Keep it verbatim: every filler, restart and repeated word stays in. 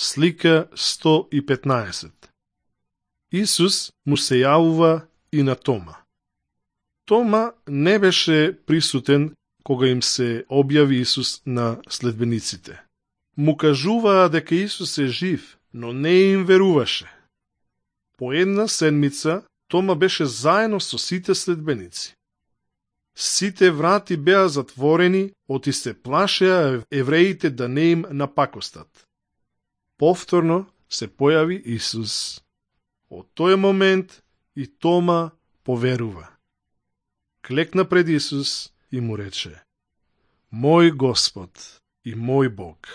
Слика сто и петнаесет. Исус му се јавува и на Тома. Тома не беше присутен кога им се објави Исус на следбениците. Му кажуваа дека Исус е жив, но не им веруваше. По една седмица Тома беше заедно со сите следбеници. Сите врати беа затворени, оти се плашеа евреите да не им напакостат. Повторно се појави Исус. Од тој момент и Тома поверува. Клекна пред Исус и му рече: Мој Господ и мој Бог.